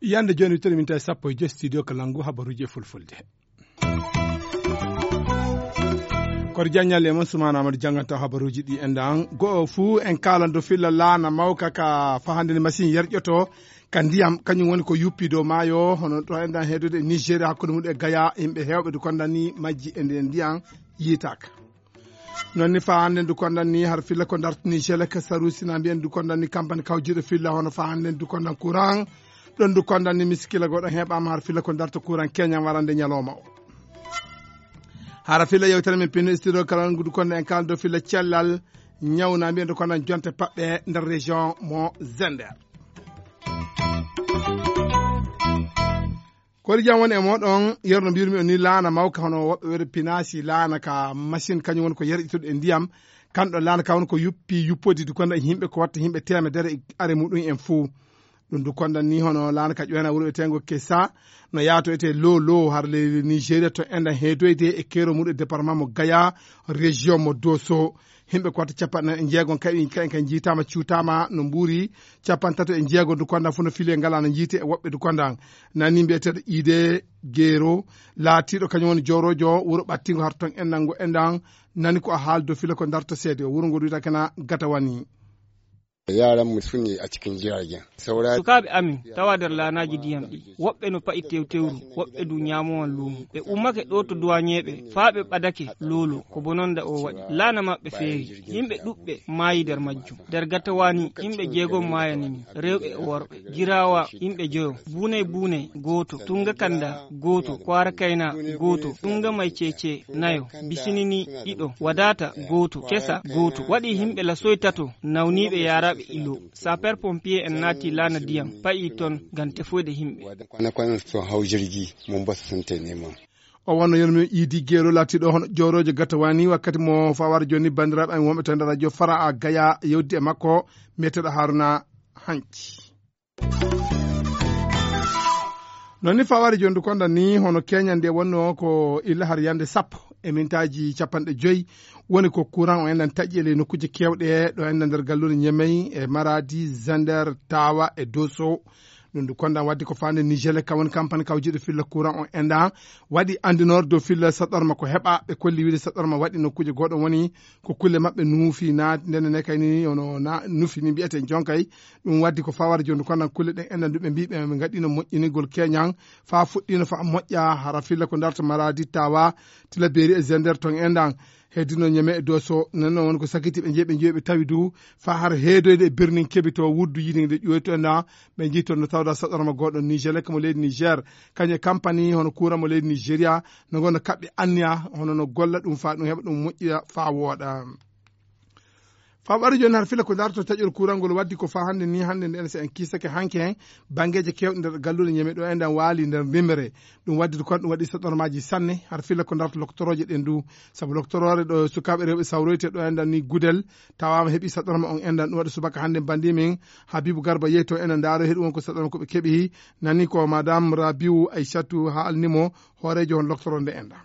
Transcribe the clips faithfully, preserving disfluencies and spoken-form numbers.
Yande jooni, wittere min tawi sappo e joy studio Kalangu, habaruuji e fulfulde. Koto Diagne Aly e mon, Soumana Amadou jannganta habaruuji ɗi. Enɗan goo fuu en kaalan dow filla laana mawka ka fahande ni machine yerƴoto ka ndiyam, kañum woni ko yuppi dow maayo, hono ɗo enɗan heedude e Nigeria, hakkunde mum e Gaya, yimɓe heewɓe du kondan ni majji e nden ndiyam yiitaaka. Non ni fahande du kondan ni har filla ko dartani Niger ka Sarusi na mbiyen du kondan ni kampani kawjiiɗo filla hono fahande du kondan courant. Ɗon du kondan ni miskila goɗɗo heɓaama har filla ko darta courant Kenya warande ñalawma o. Hara filla yewtere men pinno studio Kalangu du kondan en kaaldo filla cellal ñawna mbiyen du kondan jonte paɓɓe nder région mo Zender. Kori jam woni e moɗon, yerno mbirmi on ni laana mawka hono woɓɓe wiyata pinaasi laana ka machine, kañum woni ko yerƴitude e ndiyam. Kan ɗon laana ka woni ko yuppi yuppodi du kondan yimɓe ko watta yimɓe temedere e are muɗum en fuu. Ɗum du kondan ni hono laana ka ƴoyna wuro wiyetengo Kesa, no yaato ete lo lo har leydi Nigeria to enɗan heedoyde e keero muɗum e département mo Gaya, région mo Dosso. Yimɓe ko watta capanɗe nayi e jeegom kaɓi, kaɓi ka njiitaama, cuutaama no mbuuri. Capanɗe tato e jeegom du kondan fof no fili e ngala no njiite e woɓɓe du kondan. Nani mbiyeteeɗo Ide Gero, laatiiɗo kañum woni jooroojo wuro ɓattingo har ton enɗan ngo enɗan. Nani ko a haaldo fila ko darta seede o wuro ngo duyta kana gata wani. Yaran mu su ne a cikin jiragen. Saura Sukaaɓe amin tawa nder laanaaji ndiyam ɗi. Woɓɓe no pa'i tewtewru, woɓɓe du ñaamowan luumo. Ɓe ummake ɗo to duwañeeɓe, faa ɓe ɓadake loolo, ko bononda o waɗi. Laana maɓɓe feeri. Yimɓe ɗuɓɓe maayi nder majjum. Nder Gatawa ni, yimɓe jeegom maayani min, rewɓe e worɓe. Giraawa, yimɓe joyo. Buunay Buunay, gooto. Tunga Kanda, gooto. Kwaara Kayna, gooto. Tunga May Cece, nayo. Bisinini, ɗiɗo. Wadaata, gooto. Kesa, gooto. Waɗi yimɓe lasoy tato, nawniiɓe yaaraaɓe ilo. Sapeur pompier en naati laana ndiyam, pa'i ton ngam tefoyde yimɓe. Kwana-kwanan sun hau jirgi, mun basu sun tai neman. O wonno yonmi Idi Gero laatiiɗo hono jooroojo Gatawa ni wakkati mo fawar jooni banndiraaɓe amin wonɓe to nder radio Fara a Gaya yewdi e makko, mbiyeteeɗo Haruna Hanci. Non ni fawar jooni du konda ni hono Kenya nde wonno ko illa har yande sappo e mintaaji capanɗe joyi woni ko courant o enɗan taƴi e ley nokkuuje keewɗe ɗo enɗan nder galluure Ñemey e Maradi, Zander, Tawa e Dosso. Ɗum du kondan waddi ko faande Nigel kam woni kampani kawjiiɗo filla courant o enɗan waɗi anndinoor dow filla saɗɗorma ko heɓa. Ɓe kolli wiide saɗɗorma waɗi nokkuuje goɗɗo woni ko kulle maɓɓe nuufi naati ndenne ne kay ni ono na nufi ni mbiyeten jonkay. Ɗum waddi ko fawar jooni kono kulle ɗen enɗan du ɓe mbi ɓe ɓe ngaɗino moƴƴinigol keñan fa fuɗɗino fa moƴƴa hara filla ko darta Maradi, Tawa, Tilaberi e Zender ton enɗan. Heddino Ñeme e Doso, nden noon woni ko sakiti ɓe njeyi ɓe njeyi ɓe tawi du fa har heedoyde e birnin keɓi to wuddu yiɗi nde ƴoyto enɗan. Ɓe njeyi toon no tawda saɗɗorma goɗɗo Niger lekka mo leydi Niger, kañum e kampani hono kuura mo leydi Nigeria no ngonno kaɓɓe anniya hono no golla ɗum fa ɗum heɓa ɗum moƴƴiya fa wooɗa. Fa ɓari jooni har fila ko darto taƴol kuurangol waddi ko fa hannde ni hannde nden so en kiisake hanke hen banngeeji keewɗi nder galluure Ñeme ɗo enɗan waali nder ndimere. Ɗum waddi ko ɗum waɗi saɗɗormaaji sanne har fila ko darto loktorooje ɗen du. Sabu loktoroore ɗo sukaaɓe rewɓe sawroyte ɗo enɗan ni Gudel tawaama heɓi saɗɗorma on enɗan ɗum waɗi subaka hannde bandi min Habibu Garba yehi to enɗan ndaaro heɗi won ko saɗɗorma ko ɓe keɓi. Nani ko Madame Rabiu Aishatu haalni mo hooreejo on loktoro nde enɗan.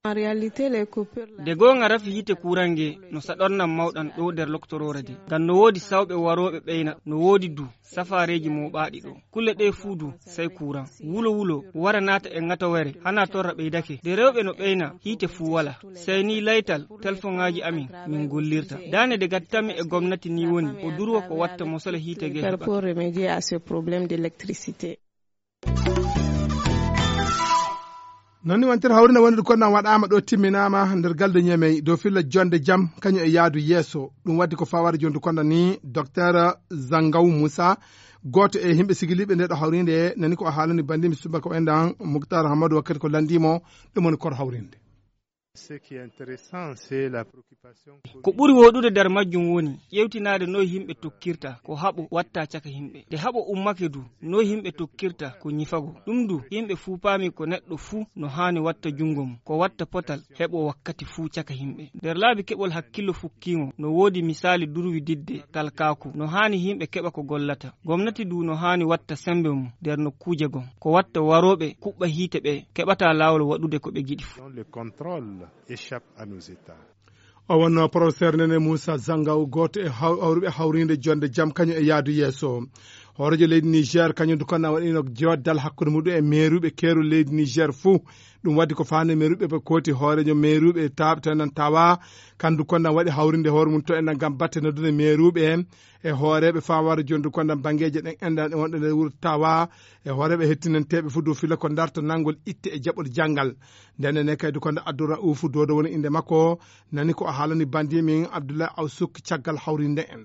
En réalité, les coupures là. De goonga rafi yiite kuuran nge no saɗornan mawɗan ɗo nder loktoroore de. Ngam no woodi sawɓe warooɓe ɓeyna, no woodi du safaareeji mooɓaaɗi ɗo. Kulle ɗe fuu du sey kuuran. Wulo wulo wara naata e ŋatowere, hana torra ɓeydake. De rewɓe no ɓeyna, hiite fuu wala. Sey ni laytal, telfoŋaaji amin min gollirta. Daane de gattanmi e gomnati ni woni, o durwa ko watta mosole hiite ge heɓa. Pour remédier à ce problème d'électricité. Non ni wontere hawrinde wonde ko nan waɗaama ɗo timminaama nder galde Ñemey dow filla jonde jam kañum e yaadu yeeso. Ɗum waddi ko fawaade jonde konda ni Docteur Zangaw Moussa, gooto e yimɓe sigiliiɓe nde ɗo hawrinde nani ko o haalani bandimi subaka o enɗan Mouctar Hamadou wakkati ko lanndimo ɗum woni kor hawrinde. Ce qui est intéressant, c'est la préoccupation. Ko ɓuri woɗude nder majjum woni ƴeewtinaade no yimɓe tokkirta ko haɓo watta caka yimɓe. Nde haɓo ummake du, no yimɓe tokkirta ko ñifago. Ɗum du, yimɓe fuu paami ko neɗɗo fuu no haani watta junngo mum, ko watta potal heɓo wakkati fuu caka yimɓe. Nder laabi keɓol hakkillo fukkiimo, no woodi misaali durwi didde talkaaku. No haani yimɓe keɓa ko gollata. Gomnati du no haani watta semmbe mum nder nokkuuje gom. Ko watta warooɓe kuɓɓa hiite ɓe keɓata laawol waɗude ko ɓe ngiɗi fuu. Le contrôle échappe à nos États. O wonno professeur Nene Moussa Zangaw, gooto e haw-, hawruɓe hawriinde jonde jam kañum e yaadu yeeso. Hooreejo leydi Niger kañum du konna waɗino joddal hakkunde muɗum e meeruɓe keeru leydi Niger fuu. Ɗum waɗi ko faande meeruɓe ɓe kooti hooreejo meeruɓe taaɓe to enen tawa. Kandu konna waɗi hawrinde hoore mum to enen ngam batte noddude meeruɓe e hooreeɓe fawaare jondu konna banngeeje ɗen enɗan e wonɗo nder wuro tawa e hooreeɓe hettinanteeɓe fuu dow fila ko darto nanngol itte e jaɓol janngal. Nden ne kaydi ko nde Abdourahoufu Dodo woni innde makko, nani ko o haalani bandi min Abdoulaye Awsouk caggal hawrinde en.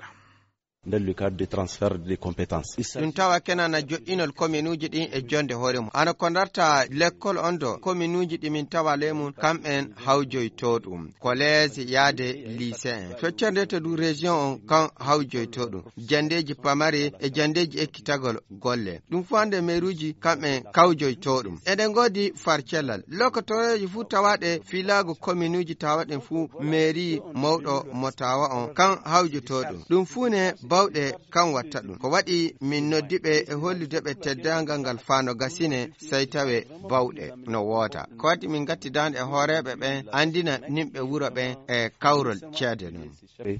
Dans le cadre des transferts de compétences. Ɗum tawa kenana joɗɗinol kominuuji ɗin e jonde hoore mum. Hano ko darta lekkol on do kominuuji ɗi min tawa ley mum, kamɓen hawjoyto ɗum. Collège yaade lycée en. Feccorde to du région on kan hawjoyto ɗum. Jandeeji pamari e jandeeji ekkitagol golle. Ɗum fuu hannde meeruuji kamɓe kawjoyto ɗum. Eɗen ngoodi farcellal. Lokotooreeji fuu tawaaɗe fiilaagu kominuuji tawaɗen fuu meeri mawɗo mo tawa on kan hawjoto ɗum. Ɗum fuu ne bawɗe kan watta ɗum. Ko waɗi min noddi ɓe e hollude ɓe teddaangal ngal faa no gasine sey tawe bawɗe no woota. Ko waɗi min ngatti daande e hooreeɓe ɓen anndina nimɓe wuro ɓen e kawrol ceede non.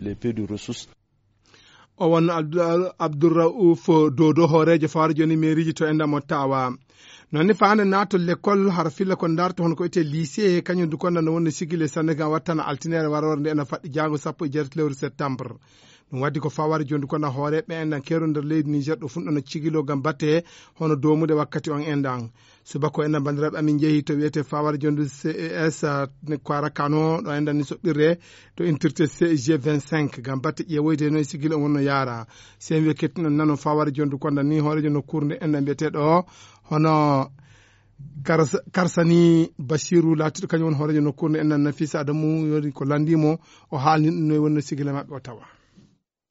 Les peu de ressources. O wonno Abdou-, Abdourraouf Dodo, hooreejo fawaare jooni meeriiji to enɗan mo tawa. Noon ne faande naatol lekkol, hara filla ko darto hono ko etee lycée, kañum du konda no wonno sigile Sénégal wattana altineere warore nde ena faɗɗi jaango sappo e jeetati lewru septembre. Ɗum waddi ko fawaare jooni du konda hooreeɓe enɗan keeru nder leydi Niger ɗo funɗo no cigilo ngam batte hono doomude wakkati on enɗan. Subaka o enɗan banndiraaɓe amin njehi to wiyetee fawaare jondu C E S, ah, ne Kwara Kano, ɗo enɗan ni soɓɓirre to intirte C G vingt-cinq, ngam batte ƴeewoyde no e sigil on wonno yaara. Seen wiye kettuno nano fawaare jondu konda ni hooreejo nokkuure nde enɗan mbiyeteeɗo hono Kars-, Karsani Basiru laatiiɗo kañum woni hooreejo nokkuure nde enɗan Nafisa Adamu yoni ko lanndii mo, o haalni ɗum no e wonno sigil maɓɓe o tawa.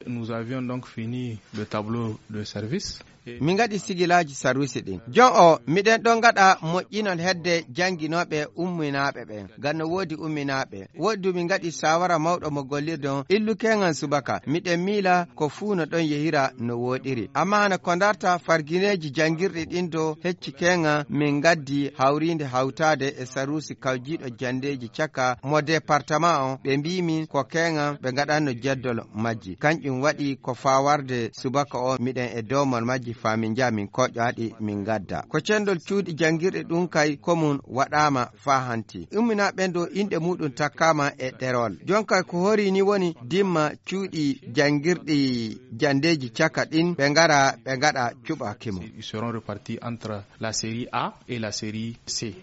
Nous avions donc fini le tableau de service. Min ngaɗi sigilaaji sarwisi ɗin. Jon o, miɗen ɗon ngaɗa moƴƴinol hedde jannginooɓe umminaaɓe ɓen. Ngam no woodi umminaaɓe. Woodi du min ngaɗi saawara mawɗo mo gollirde on, illu keeŋan subaka. Miɗen miila ko fuu no ɗon yehira no wooɗiri. Ammaa hana ko darta fargineeji janngirɗi ɗin dow hecci keeŋan min ngaddi hawriinde hawtaade e saruusi kawjiiɗo janndeeji caka mo departama on, ɓe mbii min ko keeŋan ɓe ngaɗanno jeddol majji. Kanƴum waɗi ko faa warde subaka o miɗen e doomol majji faa min njaha min koƴƴo haɗi min ngadda. Ko cenndol cuuɗi janngirɗi ɗum kay ko mum waɗaama faa hanti. Umminaaɓe ɓen dow inɗe muuɗum takkaama e ɗerol. Jon kay ko horii ni woni dimma cuuɗi janngirɗi janndeeji caka ɗin ɓe ngara ɓe ngaɗa cuɓaaki mum. Ils seront repartis entre la série A et la série C.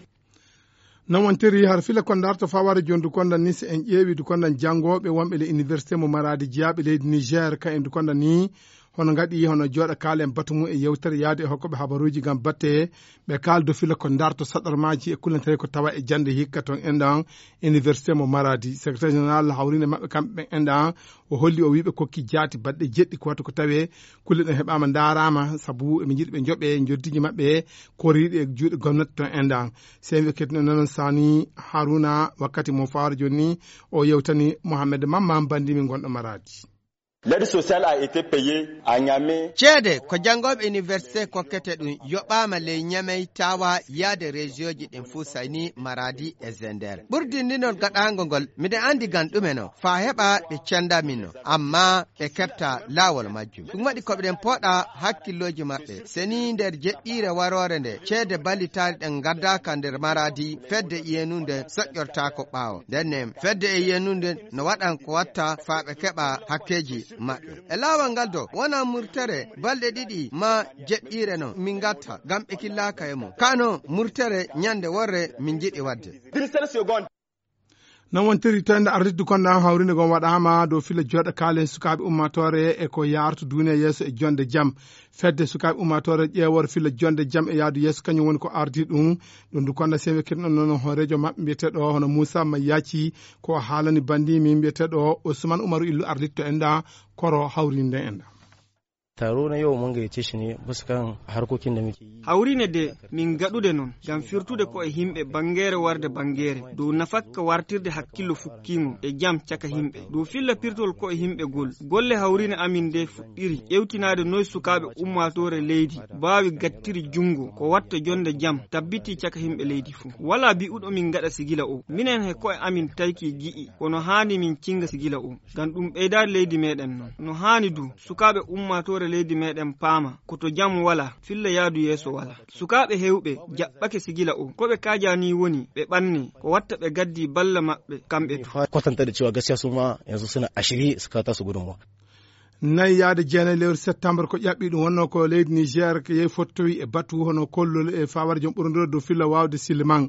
Non wontiri har fila ko darto fawaare jondu konda ni, si en ƴeewi du konda janngooɓe wonɓe le université mo Maradi jeyaaɓe leydi Niger, ka en du konda ni hono ngaɗi hono jooɗa kaalen batu mum e yewtere yaade e hokkooɓe habaruuji ngam batte ɓe kaaldo fila ko darto saɗarmaaji e kullantere ko tawa e jannde hikka toon enɗan université mo Maradi. Secrétaire général hawriinde maɓɓe kamɓe ɓen enɗan o holli o wiiɓe kokki jaati baɗɗe jeɗɗi ko wata ko tawee kulle ɗen heɓaama ndaaraama sabu eɓe njiɗi ɓe njoɓe njoddiiji maɓɓe koriiɗi e juuɗe gomnati toon enɗan. Seen ɓe kettuno nanon Sani Haruna wakkati mo fawaare jooni ni o yewtani Mohamed Mamman banndi min gonɗo Maradi. L'aide sociale a été payée à Niamey. Ceede ko janngooɓe université kokkete ɗum yoɓaama ley Niamey tawa yaade région ji ɗin fuu sayni Maradi e Zender. Ɓurdindinon gaɗaango ngol miɗen anndi ngam ɗume no faa heɓa ɓe cenda min no. Amma ɓe keɓta laawol majjum. Ɗum waɗi ko ɓeɗen pooɗa hakkillooji maɓɓe. Seni nder jeɗɗiire waroore nde ceede ballitaari ɗen ngaddaaka nder Maradi, fedde iyenunde soƴƴortaako ɓaawo. Nden ne fedde e iyenunde no waɗan ko watta faa ɓe keɓa hakkeeji maɓɓe. E laawol ngal do wona murtere balɗe ɗiɗi maa jeɗɗiire no min ngatta ngam ɓe killaaka e mum. Kano murtere ñande worre min njiɗi waɗde. Non wontiri to ende ardidu konda hawrinde gon waɗaama dow filla jooɗa kaalen sukaaɓe ummaatoore e ko yaartu duniya yeeso e jonde jam. Fedde sukaaɓe ummaatoore ƴeewor filla jonde jam e yaadu yeeso kañum woni ko ardi ɗum. Ɗum du konda sewe kirɗon noon hooreejo maɓɓe mbiyeteeɗo hono Moussa Mayyaci ko haalani bandi min mbiyeteeɗo Ousmane Oumarou Illu arditto enda koro hawrinde enda. Taro na yau mun gayyace shi ne bisa kan harkokin da muke yi. Hawrine de min gaɗude noon ngam firtude ko e yimɓe banngeere warde banngeere dow nafakka wartirde hakkillo fukkiingo e jam caka yimɓe dow filla pirtol ko e yimɓe gol. Golle hawrine amin de fuɗɗiri ƴewtinaade noy sukaaɓe ummaatoore leydi mbaawi gattiri junngo ko watta jonde jam tabbiti caka yimɓe leydi fuu. Walaa bi'uɗo min ngaɗa sigila o. Minen he ko'e amin tayki gi'i kono haani min cinnga sigila o. Ngam ɗum ɓeydaade leydi meeɗen noon. No haani du, sukaaɓe ummaatoore leydi meeɗen paama ko to jam walaa, filla yaadu yeeso walaa. Sukaaɓe heewɓe jaɓɓake sigila o. Ko ɓe kaajaa nii woni ɓe ɓannee, ko watta ɓe gaddii balla maɓɓe kamɓe du. Kwatanta da cewa gaskiya su ma yanzu suna a shirye su kawo tasu gudunmawa. Nayi yaade jeenayi lewru septembre ko ƴaɓɓi ɗum wonnoo ko leydi Niger ko yehi fottowi e batu hono kollol e fawaade joom ɓurondiro dow filla waawde silman.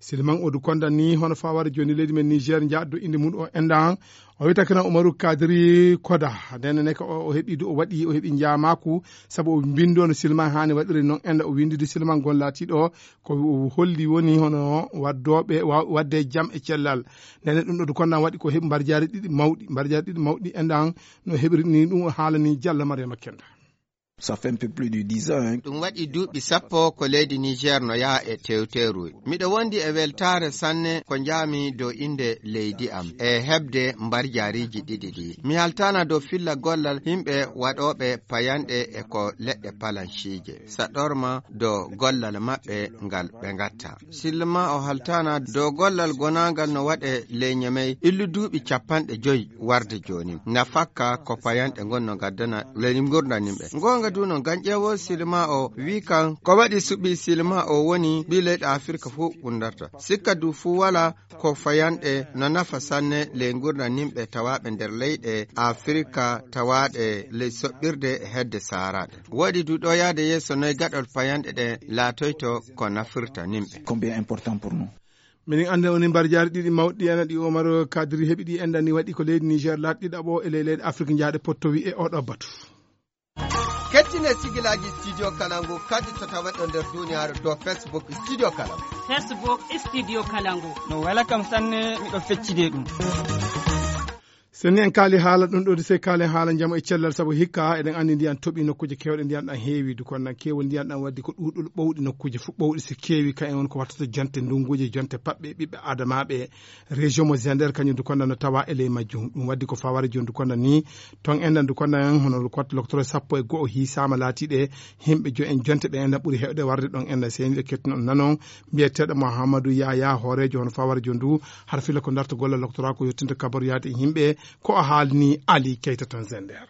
Silman o du konda ni hono fawaade jooni leydi men Niger njaɗdo inde mum o endan. O wiyata kana Umaru Kadiri Koda. Ndenne ne ko o, o heɓi du o waɗi o heɓi njaamaku sabu o mbindono silman haani waɗiri noon enda o windidi silman gon laatiɗo ko o holli woni hono waddooɓe wa-, wadde jam e cellal. Ndenne ɗum ɗo du konda waɗi ko heɓi mbarjaari ɗiɗi mawɗi, mbarjaari ɗiɗi mawɗi endan no heɓiri ni ɗum o haalani Jalla Mariama Kenda. Ça fait un peu plus de dix ans, hein. Ɗum waɗi duuɓi sappo ko leydi Niger no yaha e tewteeru. Miɗo wondi e weltaare sanne ko njaami dow innde leydi am e heɓde mbarjaariiji ɗiɗi ɗi. Mi haltaana dow filla gollal yimɓe waɗooɓe payanɗe e ko leɗɗe palanciije. Saɗorma dow gollal maɓɓe ngal ɓe ngatta. Silma o haltaana dow gollal gonaangal no waɗe ley Ñemey illu duuɓi capanɗe joyi warde jooni. Nafakka ko payanɗe ngon no ngaddana ley ngurndan yimɓe. Ngoonga du no gañƴeewol silma o wii kan ko waɗi suɓi silma o woni ɓii leyɗe Afirka fof ɓundarta. Sikka du fuu walaa ko fayanɗe no nafa sanne ley ngurndan yimɓe tawaaɓe nder leyɗe Afirka tawaaɗe ley soɓɓirde e hedde saaraaɗe. Woodi du ɗo yahde yeeso noy gaɗol payanɗe ɗe laatoyto ko nafirta yimɓe. Combien important pour nous? Minin annde woni mbarjaari ɗiɗi mawɗi ena ɗi Omar Kadri heɓi ɗi endani waɗi ko leydi Niger laaɗi ɗiɗaɓo e ley leyɗe Afirka jahaaɗe pottowi e oɗo batu. Kettine sigilaaji Studio Kalangu kadi to taweɗo nder duniyaaru dow Facebook Studio Kalangu. Facebook Studio Kalangu. No wela kam sanne, miɗo feccide ɗum. So ni en kaali haala ɗum ɗo, de se kaalen haala njamu e cellal, sabu hikka eɗen anndi ndiyan toɓi nokkuuje keewɗe, ndiyan ɗan heewi, du kono nan keewol ndiyan ɗan waddi ko ɗuuɗol ɓowɗi nokkuuje fof ɓowɗi so keewi, ka en woni ko wattata jonte ndunguuje, jonte paɓɓe ɓiɓɓe adamaaɓe. Région mo Zender kañum du konda no tawa e ley majjum. Ɗum waddi ko faware joni du konda ni ton enɗan du konda en hono du kotta loktoro sappo e go'o hiisaama laatiiɗe himɓe jo en jonte ɓe enɗan ɓuri heewde warde ɗon enɗan seniiɗo kettuno nanon mbiyeteeɗo Mouhamadou Yaya hooreejo hono faware joni du har fila ko darta golle loktoro ko yottinta kabaru yaade e yimɓe ko o haalni Ali Keita ton Zender.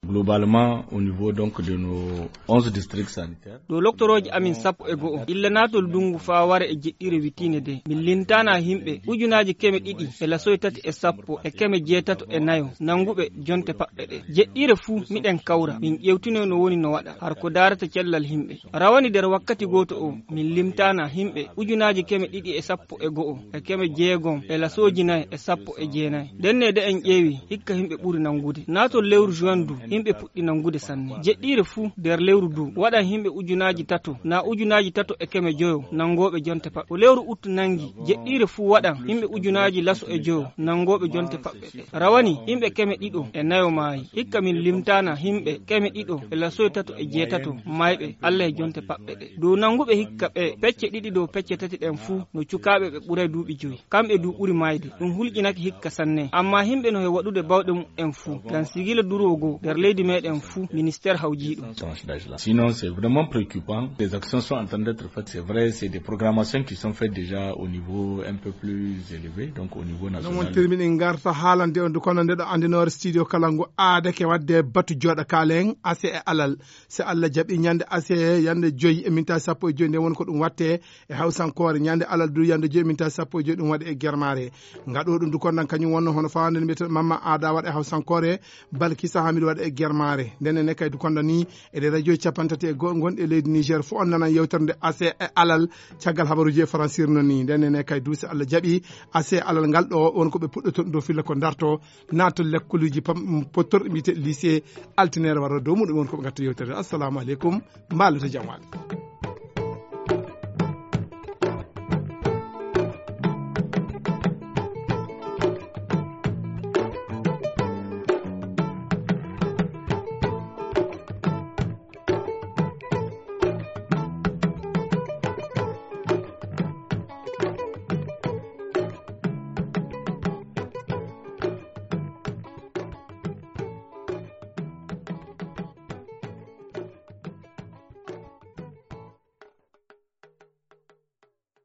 Globalement, au niveau donc de nos onze districts sanitaires. Ɗo loktorooji amin sappo e go'o illa naatol ndungu faa wara e jeɗɗire witiinde de min lintaana himɓe ujunaaji keme ɗiɗi e lasoy tati e sappo e keme jeetato e nayo nannguɓe jonte paɓɓe ɗe. Jeɗɗire fuu miɗen kawra min ƴeewtinoy no woni no waɗa har ko daarata cellal himɓe. Rawani nder wakkati gooto o min limtaana himɓe ujunaaji keme ɗiɗi e sappo e go'o e keme jeegom e lasooji nay e sappo e jeenay. Ndenne de en ƴeewi hikka himɓe ɓuri nanngude. Naatol lewru juin du himɓe puɗɗi nanngude sanne. Jeɗɗiire fuu nder lewru du waɗan himɓe ujunaaji tato naa ujunaaji tato e keme joyo nanngooɓe jonte paɓɓe. Ko lewru ut nanngi jeɗɗiire fuu waɗan himɓe ujunaaji laso e joyo nanngooɓe jonte paɓɓe ɗe. Rawani himɓe keme ɗiɗo e nayo maayi. Hikka min limtaana himɓe keme ɗiɗo e lasoy tato e jeetato mayɓe Alla e jonte paɓɓe ɗe. Dow nannguɓe hikka ɓe pecce ɗiɗi dow pecce tati ɗen fuu no cukaaɓe ɓe ɓuray duuɓi joyi. Kamɓe du ɓuri maayde. Ɗum hulƴinake hikka sanne. Ammaa himɓe no he waɗude bawɗe muɓɓen fuu ngam sigila duroogo nder leydi meeɗen fuu ministeer hawjii ɗum. Sinon, c'est vraiment préoccupant. Des actions sont en train d'être faites. C'est vrai, c'est des programmations qui sont faites déjà au niveau un peu plus élevé, donc au niveau national. Noon wontiri miɗen ngarta haalande on du kono nde ɗo anndinoore studio kala ngu aadake waɗde batu jooɗa kaalen ase e alal. Si Allah jaɓi ñande ase yande joyi e minta sappo e joyi nde woni ko ɗum watte e hawsankoore ñande alal du yande joyi e minta sappo e joyi ɗum waɗe e germaare. Ngaɗo ɗum du konnan kañum wonno hono fawande nde mbiyeten mamma aada waɗa e hawsankoore balkisa hamidu waɗa e Germare. Nden ene kay du kondo ni e ɗe radio capanɗe tati e go'o gonɗe e leydi Niger, fof on nanan yewtere nde ase e alal. Caggal habaruji e faransir non ni, nden ene kay du, so Allah jaɓi, ase e alal ngal ɗo won ko ɓe puɗɗoto ɗo filla ko darto, naata lekkoluji pam pottorɗe mbiyete lycée, altinere wara dow muɗum won ko ɓe gatta yewtere. Assalamu aleykum, mbaalo to jam waali.